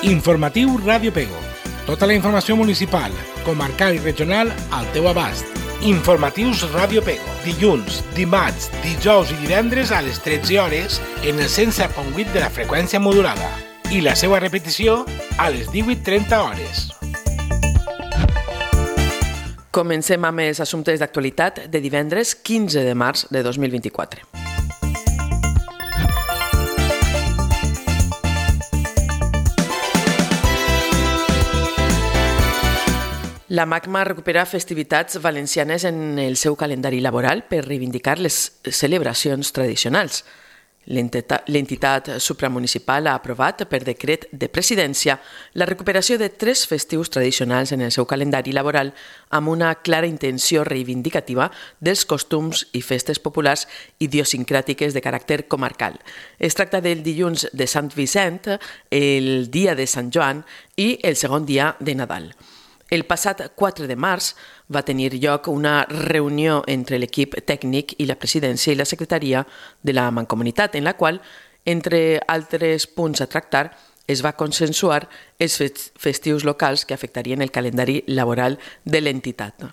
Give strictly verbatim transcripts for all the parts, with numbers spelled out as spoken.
Informatiu Ràdio Pego. Tota la informació municipal, comarcal i regional al teu abast. Informatius Ràdio Pego. Dilluns, dimarts, dijous i divendres a les tretze hores en el cent set punt vuit de la freqüència modulada. I la seva repetició a les divuit trenta hores. Comencem amb els assumptes d'actualitat de divendres quinze de març de dos mil vint-i-quatre. La MACMA recupera festivitats valencianes en el seu calendari laboral per reivindicar les celebracions tradicionals. L'entitat supramunicipal ha aprovat per decret de presidència la recuperació de tres festius tradicionals en el seu calendari laboral amb una clara intenció reivindicativa dels costums i festes populars idiosincràtiques de caràcter comarcal. Es tracta del dilluns de Sant Vicent, el dia de Sant Joan i el segon dia de Nadal. El passat quatre de març va tenir lloc una reunió entre l'equip tècnic i la presidència i la secretaria de la Mancomunitat, en la qual, entre altres punts a tractar, es va consensuar els festius locals que afectarien el calendari laboral de l'entitat.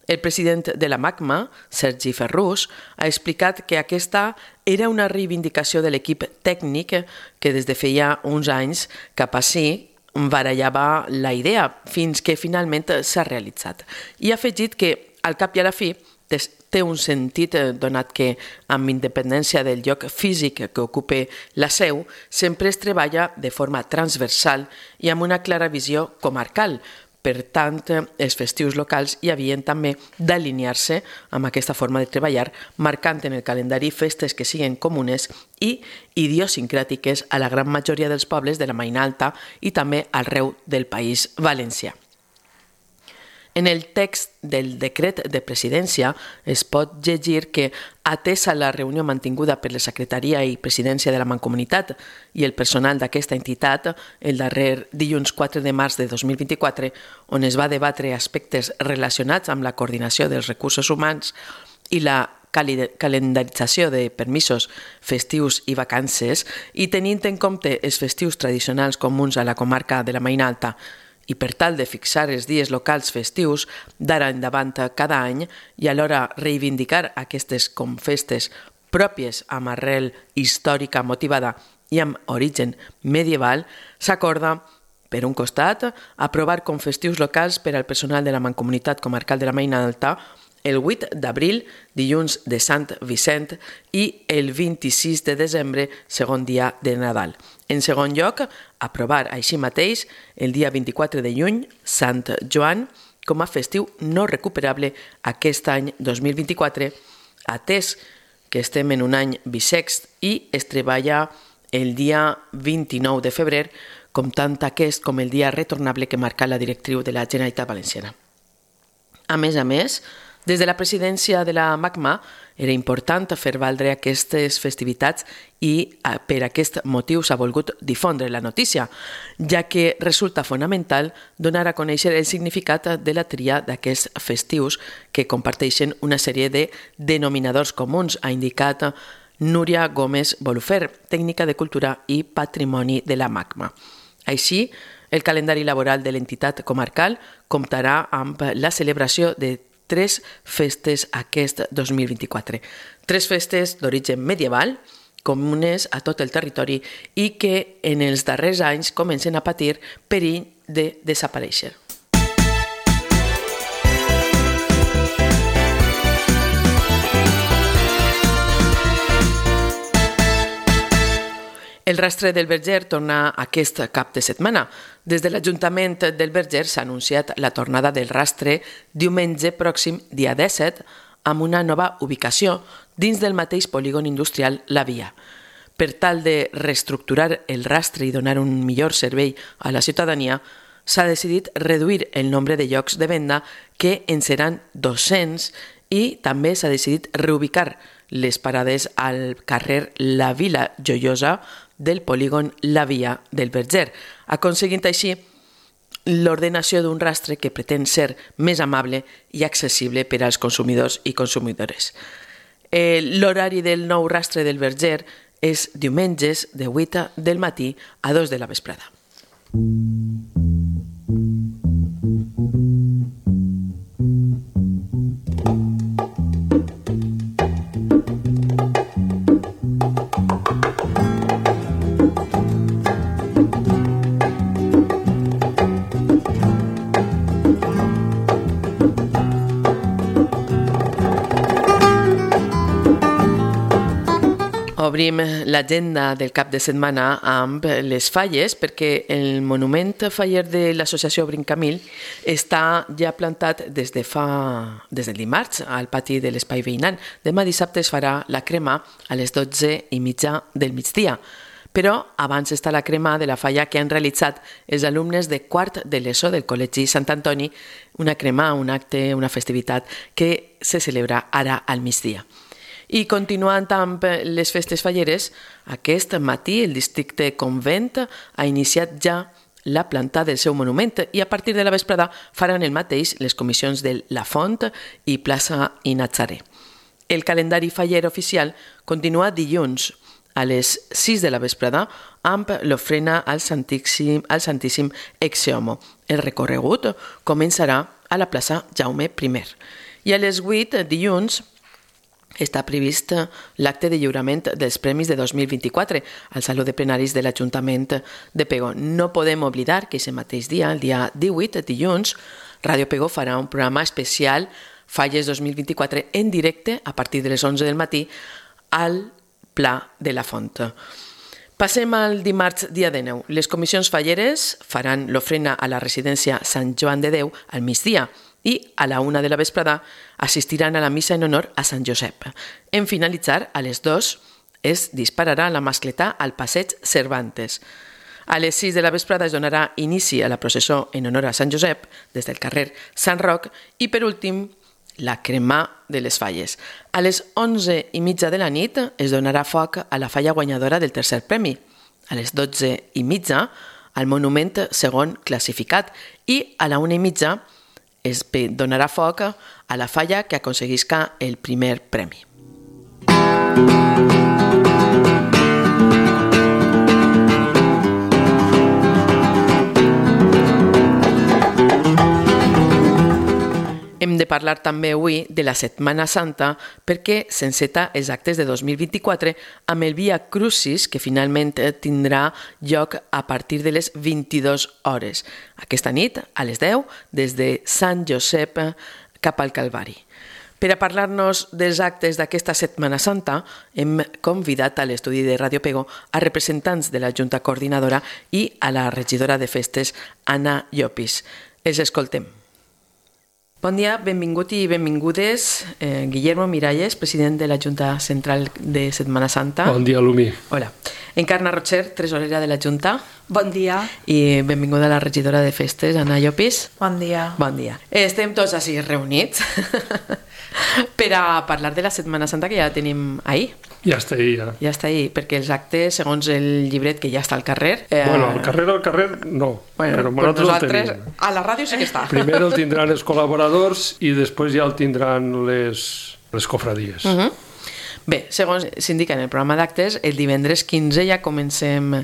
El president de la MACMA, Sergi Ferrús, ha explicat que aquesta era una reivindicació de l'equip tècnic que des de feia uns anys cap ací barallava la idea fins que finalment s'ha realitzat. I ha afegit que, al cap i a la fi, té un sentit donat que, amb independència del lloc físic que ocupa la seu, sempre es treballa de forma transversal i amb una clara visió comarcal. Per tant, els festius locals hi havien també d'alinear-se amb aquesta forma de treballar, marcant en el calendari festes que siguin comunes i idiosincràtiques a la gran majoria dels pobles de la Maina Alta i també arreu del País Valencià. En el text del decret de presidència es pot llegir que, atesa la reunió mantinguda per la secretaria i presidència de la Mancomunitat i el personal d'aquesta entitat el darrer dilluns quatre de març de dos mil vint-i-quatre, on es va debatre aspectes relacionats amb la coordinació dels recursos humans i la calendarització de permisos festius i vacances, i tenint en compte els festius tradicionals comuns a la comarca de la Maina Alta, i per tal de fixar els dies locals festius d'ara endavant cada any i alhora reivindicar aquestes com festes pròpies amb arrel històrica motivada i amb origen medieval, s'acorda, per un costat, aprovar com festius locals per al personal de la Mancomunitat Comarcal de la Maina Alta el vuit d'abril, dilluns de Sant Vicent, i el vint-i-sis de desembre, segon dia de Nadal. En segon lloc, aprovar així mateix el dia vint-i-quatre de juny, Sant Joan, com a festiu no recuperable aquest any dos mil vint-i-quatre, atès que estem en un any bisext i es treballa el dia vint-i-nou de febrer, comptant aquest com el dia retornable que marca la directriu de la Generalitat Valenciana. A més a més, des de la presidència de la MACMA era important fer valdre aquestes festivitats i per aquest motiu s'ha volgut difondre la notícia, ja que resulta fonamental donar a conèixer el significat de la tria d'aquests festius que comparteixen una sèrie de denominadors comuns, ha indicat Núria Gómez Bolufer, tècnica de cultura i patrimoni de la MACMA. Així, el calendari laboral de l'entitat comarcal comptarà amb la celebració de tres festes aquest dos mil vint-i-quatre. Tres festes d'origen medieval, comunes a tot el territori i que en els darrers anys comencen a patir perill de desaparèixer. El rastre del Verger torna aquest cap de setmana. Des de l'Ajuntament del Verger s'ha anunciat la tornada del rastre diumenge pròxim, dia disset, amb una nova ubicació dins del mateix polígon industrial La Via. Per tal de reestructurar el rastre i donar un millor servei a la ciutadania, s'ha decidit reduir el nombre de llocs de venda, que en seran dos-cents, i també s'ha decidit reubicar les parades al carrer La Vila Joiosa del polígon La Via del Verger, aconseguint així l'ordenació d'un rastre que pretén ser més amable i accessible per als consumidors i consumidores. L'horari del nou rastre del Verger és diumenges de vuit del matí a dos de la vesprada. Obrim l'agenda del cap de setmana amb les falles perquè el monument faller de l'associació Brincamil està ja plantat des de fa des del dimarts al pati de l'espai veïnal. Demà dissabte es farà la crema a les dotze i mitja del migdia. Però abans està la crema de la falla que han realitzat els alumnes de quart de l'ESO del Col·legi Sant Antoni, una crema, un acte, una festivitat que se celebra ara al migdia. I continuant amb les festes falleres, aquest matí el districte Convent ha iniciat ja la planta del seu monument i a partir de la vesprada faran el mateix les comissions de La Font i Plaça i Natzaré. El calendari faller oficial continua dilluns a les sis de la vesprada amb l'ofrena al Santíssim, al Santíssim Ex-Homo. El recorregut començarà a la plaça Jaume primer. I a les vuit, dilluns, està previst l'acte de lliurament dels premis de dos mil vint-i-quatre al Saló de Plenaris de l'Ajuntament de Pego. No podem oblidar que aquest mateix dia, el dia divuit, dilluns, Ràdio Pego farà un programa especial Falles dos mil vint-i-quatre en directe a partir de les onze del matí al Pla de la Font. Passem al dimarts, dia dinou. Les comissions falleres faran l'ofrena a la residència Sant Joan de Déu al migdia i a la una de la vesprada assistiran a la missa en honor a Sant Josep. En finalitzar, a les dues es dispararà la mascletà al passeig Cervantes. A les sis de la vesprada es donarà inici a la processó en honor a Sant Josep des del carrer Sant Roc i, per últim, la cremà de les falles. A les onze i mitja de la nit es donarà foc a la falla guanyadora del tercer premi. A les dotze i mitja al monument segon classificat i a la una i mitja es donarà foc a la falla que aconseguisca el primer premi. Hem de parlar també avui de la Setmana Santa perquè s'enceta els actes de dos mil vint-i-quatre amb el Via Crucis que finalment tindrà lloc a partir de les vint-i-dues hores. Aquesta nit, a les deu, des de Sant Josep cap al Calvari. Per a parlar-nos dels actes d'aquesta Setmana Santa, hem convidat a l'estudi de Ràdio Pego a representants de la Junta Coordinadora i a la regidora de festes, Anna Llopis. Els escoltem. Bon dia, benvingut i benvingudes. Eh, Guillermo Miralles, president de la Junta Central de Setmana Santa. Bon dia, Lumi. Hola. Encarna Rocher, tresorera de la Junta. Bon dia. I benvinguda a la regidora de festes, Anna Llopis. Bon dia. Bon dia. Estem tots així reunits per a parlar de la Setmana Santa que ja tenim ahir. Ja està ahí, ja. Ja està ahí, perquè els actes, segons el llibret que ja està al carrer... Eh... Bueno, al carrer, al carrer, no. Bueno, però pues nosaltres a la ràdio sí que està. Primer el tindran els col·laboradors i després ja el tindran les, les cofradies. Uh -huh. Bé, segons s'indica en el programa d'actes, el divendres quinze ja comencem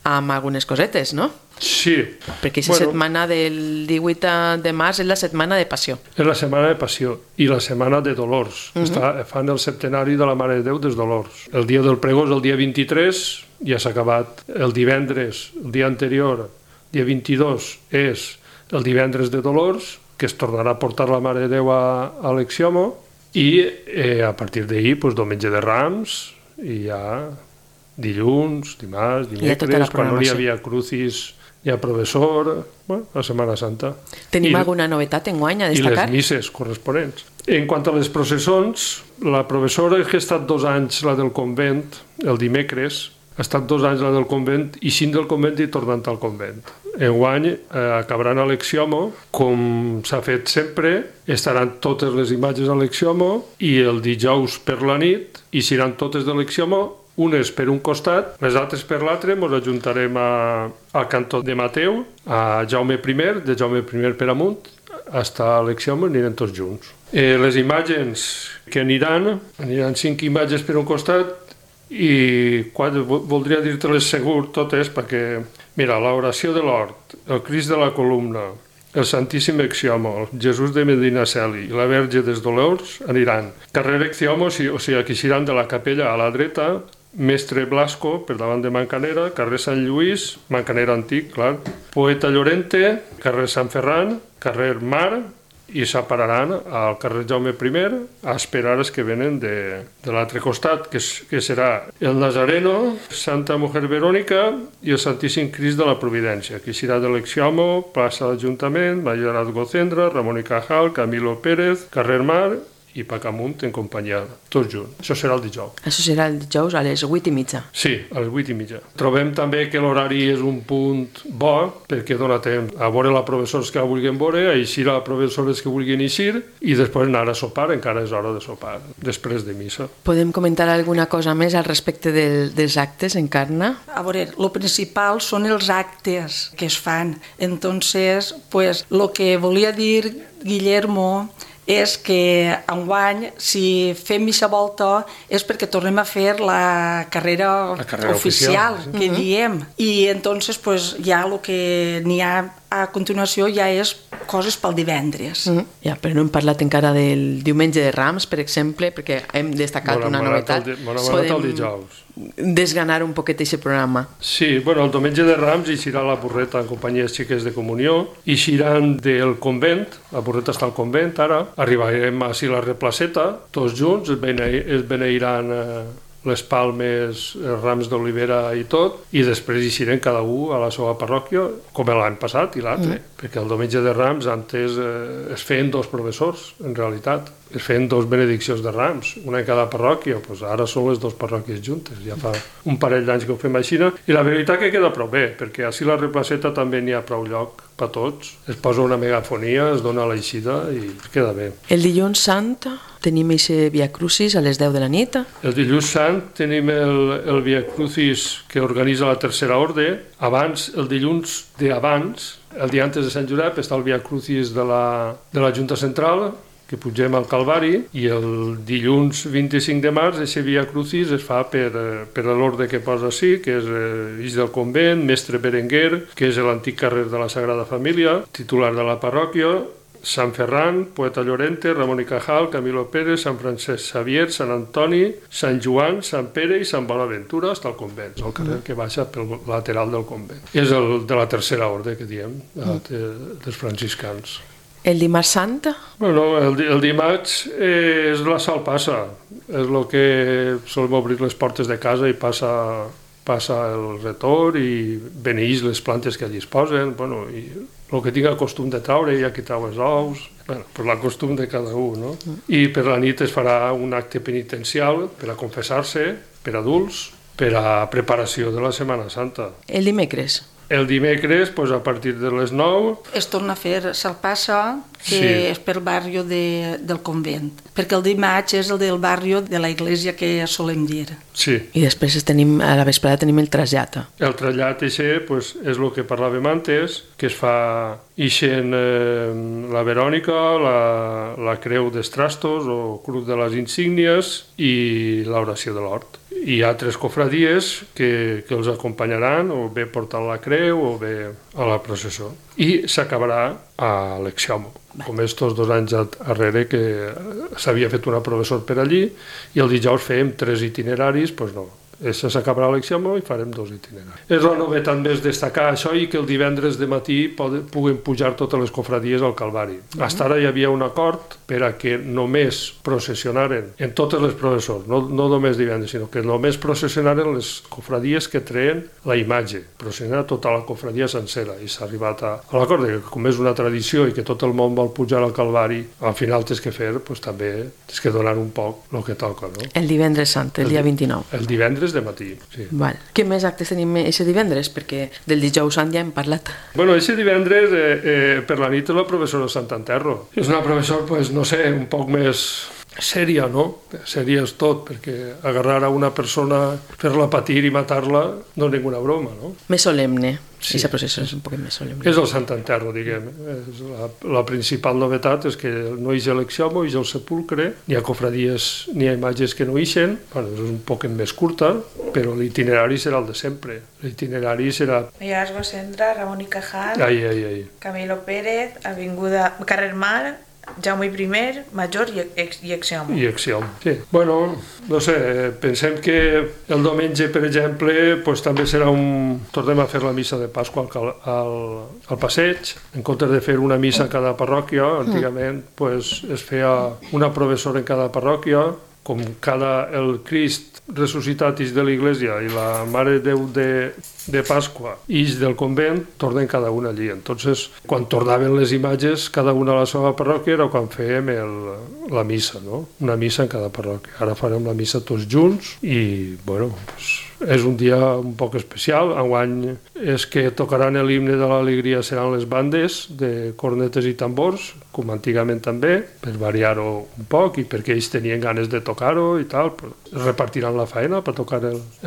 amb algunes cosetes, no? Sí. Perquè aquesta bueno, setmana del divuit de març és la setmana de Passió. És la setmana de Passió i la setmana de Dolors. Uh -huh. Està, fan el septenari de la Mare de Déu dels Dolors. El dia del pregó és el dia vint-i-tres, ja s'ha acabat el divendres, el dia anterior, dia vint-i-dos, és el divendres de Dolors, que es tornarà a portar la Mare de Déu a, a l'Ex-Homo, i eh, a partir d'ahir, pues, diumenge de Rams, i ja dilluns, dimarts, dimecres, quan no hi havia crucis, hi ha professor, bueno, la Setmana Santa. Tenim I, alguna novetat enguany a destacar? I les misses corresponents. En quant a les processons, la professora que ha estat dos anys la del convent, el dimecres, ha estat dos anys la del convent i cinc del convent i tornant al convent. Enguany eh, acabaran a l'Ex-Homo, com s'ha fet sempre, estaran totes les imatges a l'Ex-Homo i el dijous per la nit i seran totes de l'Ex-Homo, unes per un costat, les altres per l'altre, ens ajuntarem a, al cantó de Mateu, a Jaume primer, de Jaume primer per amunt, fins a l'Ex-Homo anirem tots junts. Eh, les imatges que aniran, aniran cinc imatges per un costat i quatre, voldria dir-te-les segur totes perquè, mira, l'oració de l'hort, el Crist de la columna, el Santíssim Exiomo, el Jesús de Medinaceli i la Verge dels Dolors aniran. Carrer Exiomo, o sigui, que iran de la capella a la dreta, Mestre Blasco, per davant de Mancanera, carrer Sant Lluís, Mancanera antic, clar, Poeta Llorente, carrer Sant Ferran, carrer Mar, i s'apararan al carrer Jaume primer a esperar els que venen de, de l'altre costat, que, que serà el Nazareno, Santa Mujer Verònica i el Santíssim Crist de la Providència, que serà de l'Exiomo, plaça d'Ajuntament, Mayorat Gocendra, Ramon i Cajal, Camilo Pérez, carrer Mar i Pacamunt en companyia, tots junts. Això serà el dijous. Això serà el dijous a les vuit i mitja. Sí, a les vuit i mitja. Trobem també que l'horari és un punt bo, perquè dona temps a veure la professors que vulguin veure, a eixir a professores que vulguin eixir, i després anar a sopar, encara és hora de sopar, després de missa. Podem comentar alguna cosa més al respecte del, dels actes, Encarna? A veure, el principal són els actes que es fan. Entonces, pues, lo que volia dir Guillermo és que enguany, si fem missa volta, és perquè tornem a fer la carrera, la carrera oficial, oficial, que uh-huh. diem. I entonces, pues, ja el que n'hi ha a continuació ja és coses pel divendres. Uh-huh. Ja, però no hem parlat encara del diumenge de Rams, per exemple, perquè hem destacat bona, una novetat. Bona, bona, bona, el dijous. Desganar un poquet aquest programa. Sí, bueno, el diumenge de Rams eixirà la Burreta en companyia de xiques de comunió, eixiran del convent, la Burreta està al convent ara, arribarem a la replaceta, tots junts, es, bene, es beneiran eh, les palmes, els rams d'olivera i tot, i després eixirem cada un a la seva parròquia, com l'any passat i l'altre, mm. perquè el diumenge de Rams antes eh, es feien dos professors, en realitat. Es feien dos benediccions de Rams, una en cada parròquia, doncs ara són les dues parròquies juntes, ja fa un parell d'anys que ho fem així, i la veritat que queda prou bé, perquè així la replaceta també n'hi ha prou lloc per tots, es posa una megafonia, es dona l'eixida i es queda bé. El dilluns sant tenim aquest Via Crucis a les deu de la nit. El dilluns sant tenim el, el Via Crucis que organitza la Tercera Orde. Abans, el dilluns d'abans, el dia antes de Sant Josep, està el Via Crucis de la, de la Junta Central, que pugem al Calvari, i el dilluns vint-i-cinc de març aquest Via Crucis es fa per, per l'ordre que posa així, que és Ix del Convent, Mestre Berenguer, que és l'antic carrer de la Sagrada Família, titular de la parròquia, Sant Ferran, Poeta Llorente, Ramon i Cajal, Camilo Pérez, Sant Francesc Xavier, Sant Antoni, Sant Joan, Sant Pere i Sant Bonaventura, fins al convent, el carrer que baixa pel lateral del convent. És el de la tercera ordre que diem, dels franciscans. El dimarts sant? Bueno, el, el dimarts eh, és la Sal Passa, és el que solem obrir les portes de casa i passa, passa el retor i beneïs les plantes que allí es posen, bueno, i el que tinga costum de traure, hi ha qui trau els ous, bueno, per la costum de cada un, no? I per la nit es farà un acte penitencial per a confessar-se, per adults, per a preparació de la Setmana Santa. El dimecres? El dimecres, pues, a partir de les nou... Es torna a fer Salpassa, que sí. és pel barri de, del convent, perquè el dimarts és el del barri de la església que solem dir. Sí. I després tenim, a la vesprada tenim el trasllat. El trasllat eixe, pues, és el que parlàvem antes, que es fa ixent eh, la Verònica, la, la creu dels trastos o cruz de les insígnies i l'oració de l'hort. Hi ha tres cofradies que, que els acompanyaran, o bé portant la creu o bé a la processó. I s'acabarà a l'Exiomo, com estos dos anys darrere que s'havia fet una professor per allí, i el dijous fèiem tres itineraris, doncs no, s'acabarà l'Exiomo i farem dos itineraris. És la novetat més destacar això i que el divendres de matí puguen pujar totes les cofradies al Calvari. Fins ara hi havia un acord per a que només processionaren en totes les professors, no, no només divendres, sinó que només processionaren les cofradies que treien la imatge, processionar tota la cofradia sencera, i s'ha arribat a, a l'acord que com és una tradició i que tot el món vol pujar al Calvari, al final tens que fer, doncs també tens que donar un poc el que toca, no? El divendres sant, el, el dia vint-i-nou. El divendres de matí, sí. Val. Què més actes tenim aquest divendres? Perquè del dijous sant ja hem parlat. Bueno, aquest divendres eh, eh, per la nit és la professora Sant Enterro. És una professora, pues, no sé, un poc més sèria, no? Sèria és tot, perquè agarrar a una persona, fer-la patir i matar-la no és ninguna broma, no? Més solemne. Sí. Aquest procés és un poc més solemne. És el Sant Enterro, diguem. És la, la principal novetat és que no hi ha l'exiomo, hi ha el sepulcre, ni ha cofradies ni ha imatges que no ixen, bueno, és un poc més curta, però l'itinerari serà el de sempre. L'itinerari serà... Millars Gosendra, Ramon i Cajal, Ai, ai, ai. Camilo Pérez, Avinguda Carrer Mar, Jaume I, Major i, ex, i Exiomo. I Exiomo, sí. Bueno, no sé, pensem que el diumenge, per exemple, pues, també serà un... Tornem a fer la missa de Pasqua al, al, al passeig. En comptes de fer una missa a cada parròquia, antigament pues, es feia una professora en cada parròquia, com cada el Crist ressuscitat ix de l'Iglésia i la Mare Déu de, de Pasqua ix del convent, tornen cada una allí. Entonces, quan tornaven les imatges, cada una a la seva parròquia, era quan fèiem el, la missa, no? Una missa en cada parròquia. Ara farem la missa tots junts i, bueno, pues, és un dia un poc especial. Enguany és que tocaran l'himne de l'alegria seran les bandes de cornetes i tambors, com antigament també, per variar-ho un poc i perquè ells tenien ganes de tocar-ho i tal. Repartiran la feina per tocar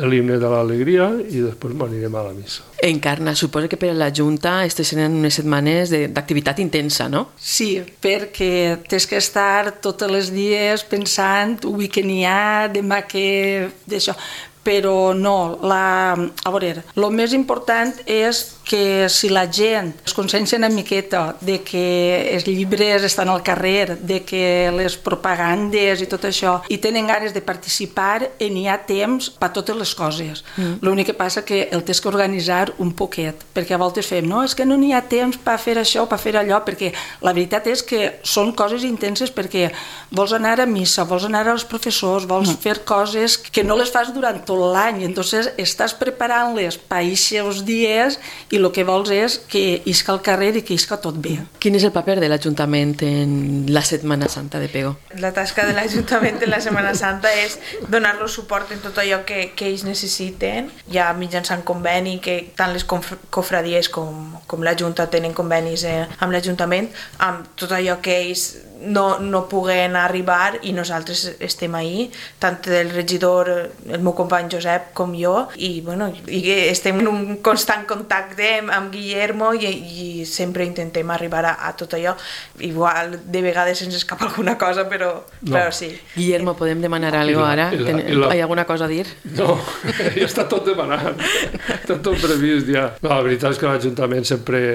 l'himne de l'alegria i després anirem a la missa. Encarna, suposa que per a la Junta aquestes seran unes setmanes d'activitat intensa, no? Sí, perquè tens que estar tots els dies pensant avui que n'hi ha, demà que... d'això. Però no, la, a veure, el més important és que si la gent es consciencia una miqueta de que els llibres estan al carrer, de que les propagandes i tot això, i tenen ganes de participar, i n'hi ha temps per totes les coses. Mm. L'únic que passa que el tens que organitzar un poquet, perquè a voltes fem, no, és que no n'hi ha temps per fer això, per fer allò, perquè la veritat és que són coses intenses perquè vols anar a missa, vols anar als professors, vols mm. fer coses que no les fas durant tot l'any, entonces estàs preparant-les per aquests dies i el que vols és que isca al carrer i que isca tot bé. Quin és el paper de l'Ajuntament en la Setmana Santa de Pego? La tasca de l'Ajuntament en la Setmana Santa és donar-los suport en tot allò que, que ells necessiten, ja mitjançant conveni, que tant les cofradies com, com la Junta tenen convenis eh, amb l'Ajuntament, amb tot allò que ells no, no puguen arribar i nosaltres estem ahí, tant el regidor, el meu company Josep com jo, i, bueno, i estem en un constant contacte amb Guillermo i, i sempre intentem arribar a, a tot allò. Igual de vegades ens escapa alguna cosa, però, no. però sí. Guillermo, podem demanar alguna cosa ara? I la, i la... Hi ha alguna cosa a dir? No, ja està tot demanat, està tot previst ja. No, la veritat és que l'Ajuntament sempre,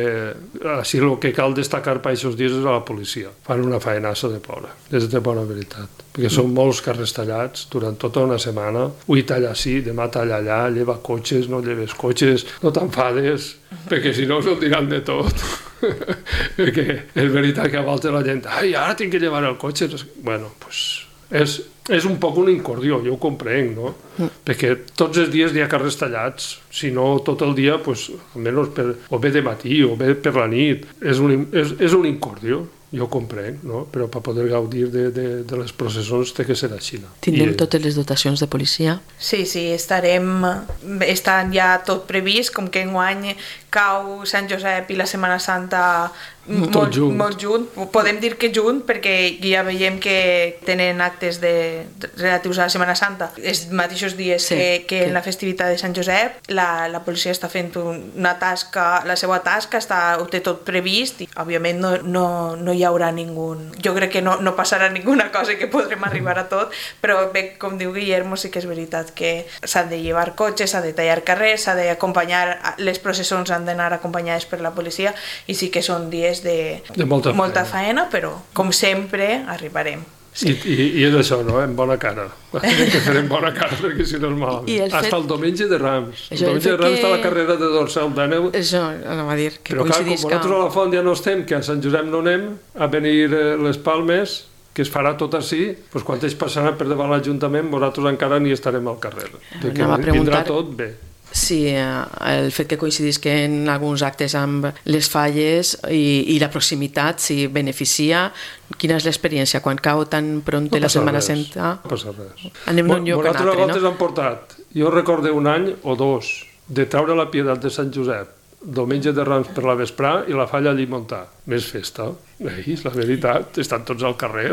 així el que cal destacar per aquests dies és a la policia. Fan una faenassa de ploure, és de bona veritat, perquè són molts carrers tallats durant tota una setmana, avui talla així, demà talla allà, lleva cotxes, no lleves cotxes, no t'enfades, perquè si no se'l diran de tot. Perquè és veritat que a voltes la gent, ai, ara tinc que llevar el cotxe. Bueno, doncs és, és un poc un incordió, jo ho comprenc, no? Mm. Perquè tots els dies hi ha carrers tallats, si no tot el dia, pues, almenys per, o bé de matí o bé per la nit, és un, és, és un incordió. Jo ho comprenc, no? Però per poder gaudir de, de, de les processons té que ser així. Tindrem I... totes les dotacions de policia? Sí, sí, estarem... Estan ja tot previst, com que enguany cau Sant Josep i la Setmana Santa molt junt. molt junt. Podem dir que junt, perquè ja veiem que tenen actes de, relatius a la Setmana Santa els mateixos dies sí, que, que sí. en la festivitat de Sant Josep. La, la policia està fent una tasca, la seva tasca, està, ho té tot previst i, òbviament, no, no, no hi haurà ningú... Jo crec que no, no passarà ninguna cosa que podrem arribar a tot, però bé, com diu Guillermo, sí que és veritat que s'han de llevar cotxes, s'ha de tallar carrers, s'ha d'acompanyar, les processons han d'anar acompanyades per la policia i sí que són dies de, de molta, molta feina. feina, però com sempre arribarem. Sí. I, i, I és això, no? En bona cara. Hem de fer en bona cara perquè si no és malament. El fet... Hasta el diumenge de Rams. El diumenge de Rams que... està la carrera de Dorsal d'Àneu. Això anava a dir. Que però clar, com nosaltres a la Font ja no estem, que a Sant Josep no anem, a venir les Palmes, que es farà tot així, doncs quan ells passaran per davant l'Ajuntament, nosaltres encara ni estarem al carrer. Que vindrà tot bé. Sí, el fet que coincidisca en alguns actes amb les falles i, i la proximitat, si beneficia. Quina és l'experiència quan cau tan pront no la Setmana Santa? No passa res. Anem d'un lloc a un altre, no? Han portat, jo recordo un any o dos, de traure la Pietat de Sant Josep, diumenge de Rams per la vesprà i la falla allí muntar. més festa. És la veritat, estan tots al carrer.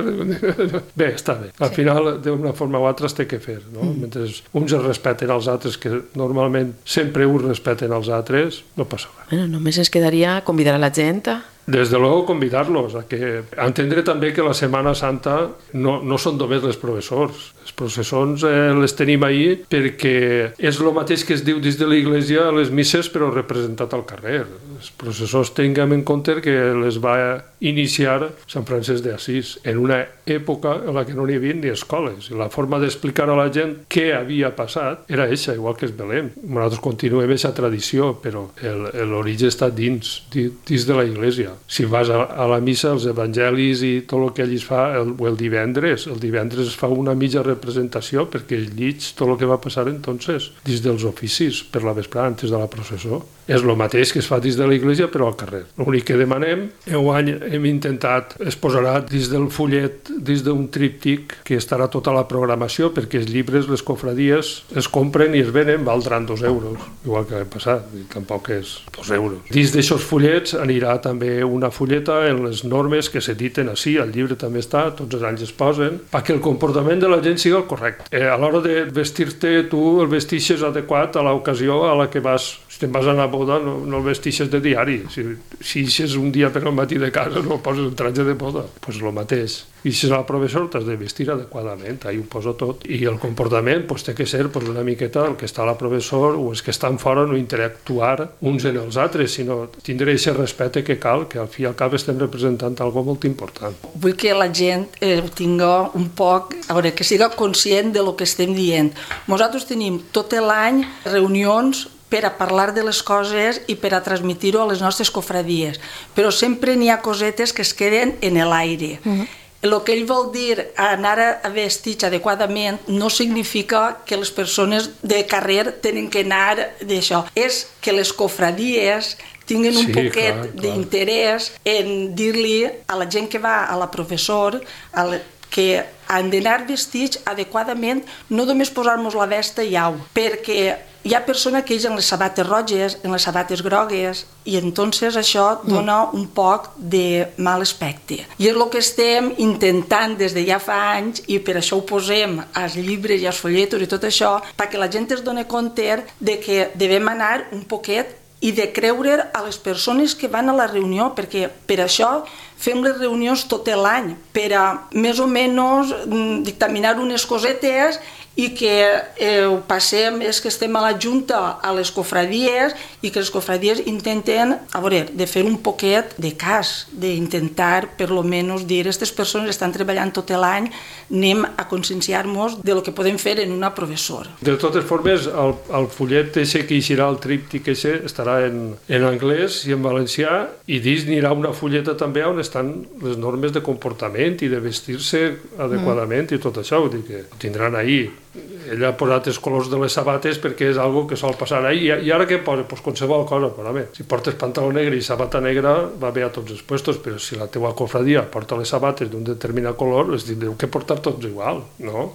Bé, està bé. Al final, d'una forma o altra, es té que fer, no? Mentre uns es respeten als altres, que normalment sempre uns respeten als altres, no passa res. Bueno, només ens quedaria convidar a la gent a... Des de luego, convidar-los a que a entendre també que la Setmana Santa no, no són només els professors. Els processons eh, les tenim ahir perquè és el mateix que es diu dins de l'Església a les misses, però representat al carrer. Els processors tinguem en compte que les va iniciar Sant Francesc d'Assís en una època en la que no n'hi havia ni escoles. I la forma d'explicar a la gent què havia passat era eixa, igual que es Belém. Nosaltres continuem aquesta tradició, però l'origen està dins, dins de l'Església. Si vas a, a la missa, els evangelis i tot el que allí es fa, el, el divendres, el divendres es fa una mitja representació perquè es llig tot el que va passar entonces, dins dels oficis, per la vesprada, antes de la processó. És el mateix que es fa dins de l'Església, però al carrer. L'únic que demanem, enguany hem intentat, es posarà dins del fullet, dins d'un tríptic, que estarà tota la programació, perquè els llibres, les cofradies, es compren i es venen, valdran dos euros, igual que l'any passat, i tampoc és dos euros. Dins d'aixòs fullets anirà també una fulleta en les normes que s'editen així, el llibre també està, tots els anys es posen, perquè el comportament de la gent sigui el correcte. Eh, a l'hora de vestir-te, tu el vestixes adequat a l'ocasió a la que vas. Si te'n vas a anar a boda, no, no el vestixes de diari. Si, si eixes un dia per al matí de casa, no poses un traje de boda. Doncs pues el mateix. I si és el professor, t'has de vestir adequadament, ahí ho poso tot. I el comportament pues, té que ser pues, una miqueta el que està la professor o els que estan fora, no interactuar uns en els altres, sinó tindre aquest respecte que cal, que al fi i al cap estem representant algo molt important. Vull que la gent eh, tinga un poc, a veure, que siga conscient de lo que estem dient. Nosaltres tenim tot l'any reunions per a parlar de les coses i per a transmitir-ho a les nostres cofradies, però sempre n'hi ha cosetes que es queden en l'aire. Uh-huh. El que ell vol dir anar a vestits adequadament no significa que les persones de carrer tenen que anar d'això. És que les cofradies tinguin un sí, poquet clar, clar. d'interès en dir-li a la gent que va, a la professor, a la, que han d'anar vestits adequadament, no només posar-nos la vesta i au, perquè hi ha persones que eixen les sabates roges, en les sabates grogues, i entonces això dona un poc de mal aspecte. I és el que estem intentant des de ja fa anys, i per això ho posem als llibres i als folletos i tot això, perquè la gent es doni compte de que devem anar un poquet i de creure a les persones que van a la reunió, perquè per això fem les reunions tot l'any, per a més o menys dictaminar unes cosetes i que eh, ho passem, és que estem a la Junta, a les cofradies, i que les cofradies intenten, a veure, de fer un poquet de cas, d'intentar, per lo menys, dir, aquestes persones estan treballant tot l'any, anem a conscienciar-nos de lo que podem fer en una professora. De totes formes, el, el fullet ese que eixirà, el tríptic ese, estarà en, en anglès i en valencià, i dins anirà una fulleta també on estan les normes de comportament i de vestir-se adequadament mm. i tot això, vull dir que ho tindran ahir. Ella ha posat els colors de les sabates perquè és algo que sol passar ahí. I ara què posa? Pues qualsevol cosa, però a veure, si portes pantaló negre i sabata negra va bé a tots els puestos, però si la teua cofradia porta les sabates d'un determinat color, les tindreu que portar tots igual, no?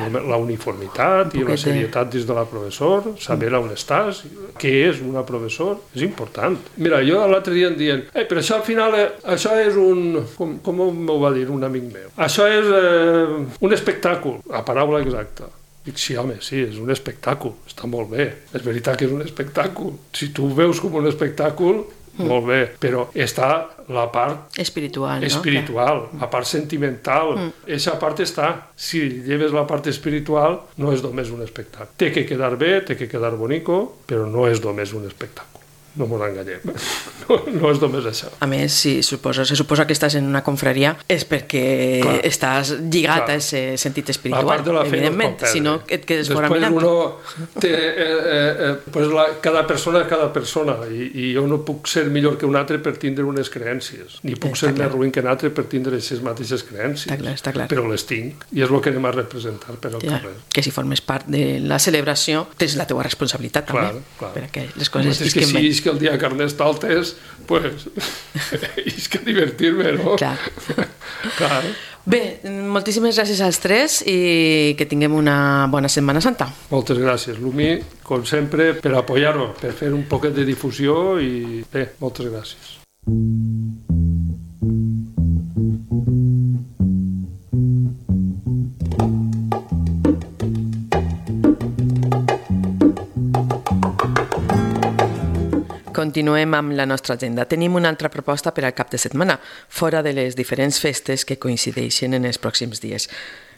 La uniformitat i la serietat dins de la professor, saber on estàs, què és una professor, és important. Mira, jo l'altre dia em diuen, eh, però això al final, eh, això és un... Com, com m'ho va dir un amic meu? Això és eh, un espectacle, la paraula exacta. Dic, sí, home, sí, és un espectacle, està molt bé. És veritat que és un espectacle. Si tu ho veus com un espectacle, mm. molt bé, però està la part espiritual, espiritual no? La part sentimental, aquesta mm. part està. Si lleves la part espiritual, no és només un espectacle. Té que quedar bé, té que quedar bonico, però no és només un espectacle. No m'ho enganyem, no, no és només això. A més, si suposa, se suposa que estàs en una confraria és perquè clar, estàs lligat clar. a aquest sentit espiritual, evidentment, si no et quedes fora mirant. Després uno té, eh, eh, pues la, cada persona és cada persona, i, i jo no puc ser millor que un altre per tindre unes creences, ni puc està ser clar. més ruïn que un altre per tindre aquestes mateixes creences, està clar, està clar. però les tinc, i és el que anem a representar per al ja, carrer. Que si formes part de la celebració, tens la teua responsabilitat clar, també, clar. perquè les coses isquen bé. Si que el dia Carnestoltes, pues, és que divertir-me, no? Clar. Clar. Bé, moltíssimes gràcies als tres i que tinguem una bona Setmana Santa. Moltes gràcies, Lumi, com sempre, per apoyar-nos, per fer un poquet de difusió i bé, moltes gràcies. Continuem amb la nostra agenda. Tenim una altra proposta per al cap de setmana, fora de les diferents festes que coincideixen en els pròxims dies.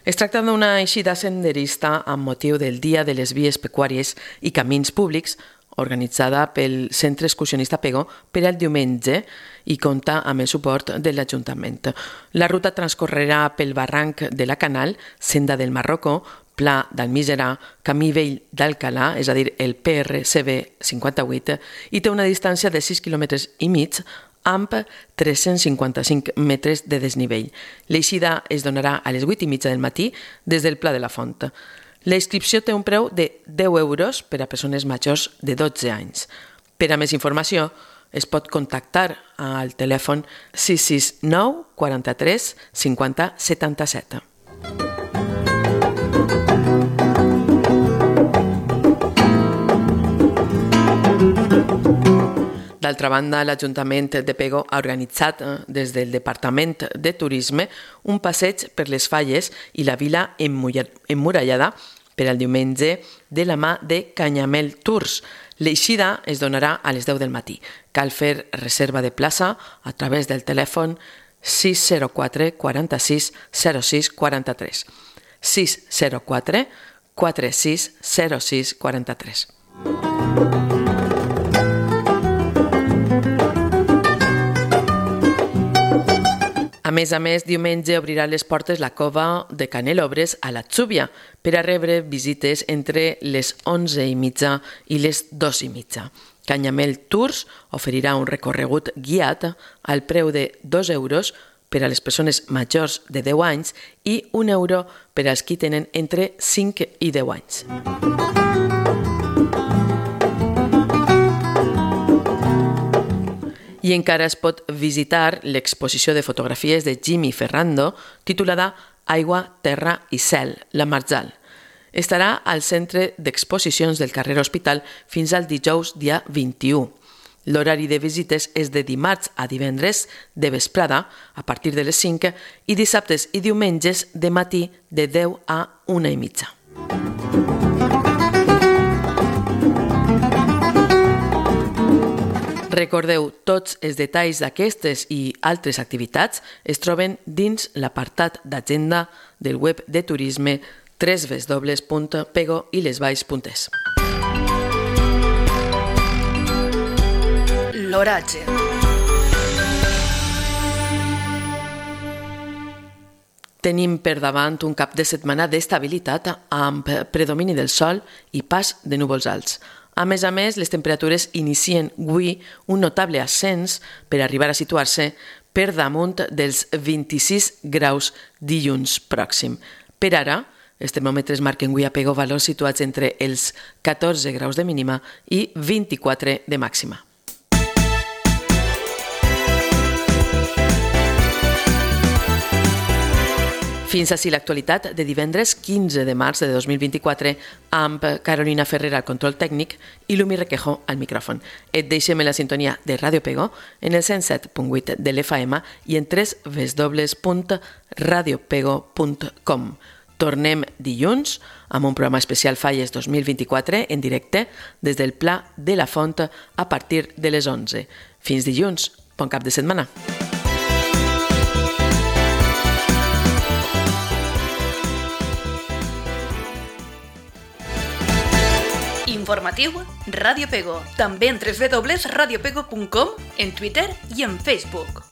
Es tracta d'una eixida senderista amb motiu del Dia de les Vies Pecuàries i Camins Públics, organitzada pel Centre Excursionista Pego per al diumenge i compta amb el suport de l'Ajuntament. La ruta transcorrerà pel barranc de la Canal, Senda del Marroco, Pla d'Almiserà, Camí Vell d'Alcalà, és a dir, el P R C B cinquanta-vuit, i té una distància de sis quilòmetres i mig amb tres-cents cinquanta-cinc metres de desnivell. L'eixida es donarà a les vuit i mitja del matí des del Pla de la Font. La inscripció té un preu de deu euros per a persones majors de dotze anys. Per a més informació, es pot contactar al telèfon sis sis nou quaranta-tres cinquanta setanta-set. D'altra banda, l'Ajuntament de Pego ha organitzat des del Departament de Turisme un passeig per les falles i la vila emmurallada per al diumenge de la mà de Canyamel Tours. L'eixida es donarà a les deu del matí. Cal fer reserva de plaça a través del telèfon sis zero quatre quaranta-sis zero sis quaranta-tres. sis zero quatre quaranta-sis zero sis quaranta-tres. A més a més, diumenge obrirà les portes la cova de Canelobres a la Xúbia per a rebre visites entre les onze i mitja i les dos i mitja. Canyamel Tours oferirà un recorregut guiat al preu de dos euros per a les persones majors de deu anys i un euro per als qui tenen entre cinc i deu anys. I encara es pot visitar l'exposició de fotografies de Jimmy Ferrando titulada Aigua, Terra i Cel, la Marjal. Estarà al centre d'exposicions del carrer Hospital fins al dijous dia vint-i-u. L'horari de visites és de dimarts a divendres de vesprada a partir de les cinc i dissabtes i diumenges de matí de deu a una i mitja. Recordeu, tots els detalls d'aquestes i altres activitats es troben dins l'apartat d'agenda del web de turisme w w w punt pego i les valls punt es. L'oratge. Tenim per davant un cap de setmana d'estabilitat amb predomini del sol i pas de núvols alts. A més a més, les temperatures inicien avui un notable ascens per arribar a situar-se per damunt dels vint-i-sis graus dilluns pròxim. Per ara, els termòmetres marquen avui a Pego valors situats entre els catorze graus de mínima i vint-i-quatre de màxima. Fins així l'actualitat de divendres quinze de març de dos mil vint-i-quatre amb Carolina Ferrer al control tècnic i Lumi Requejo al micròfon. Et deixem en la sintonia de Ràdio Pego en el cent set punt vuit de l'F M i en w w w punt radio pego punt com. Tornem dilluns amb un programa especial Falles dos mil vint-i-quatre en directe des del Pla de la Font a partir de les onze. Fins dilluns, bon cap de setmana. Informatiu Ràdio Pego. També en w w w punt radio pego punt com, en Twitter i en Facebook.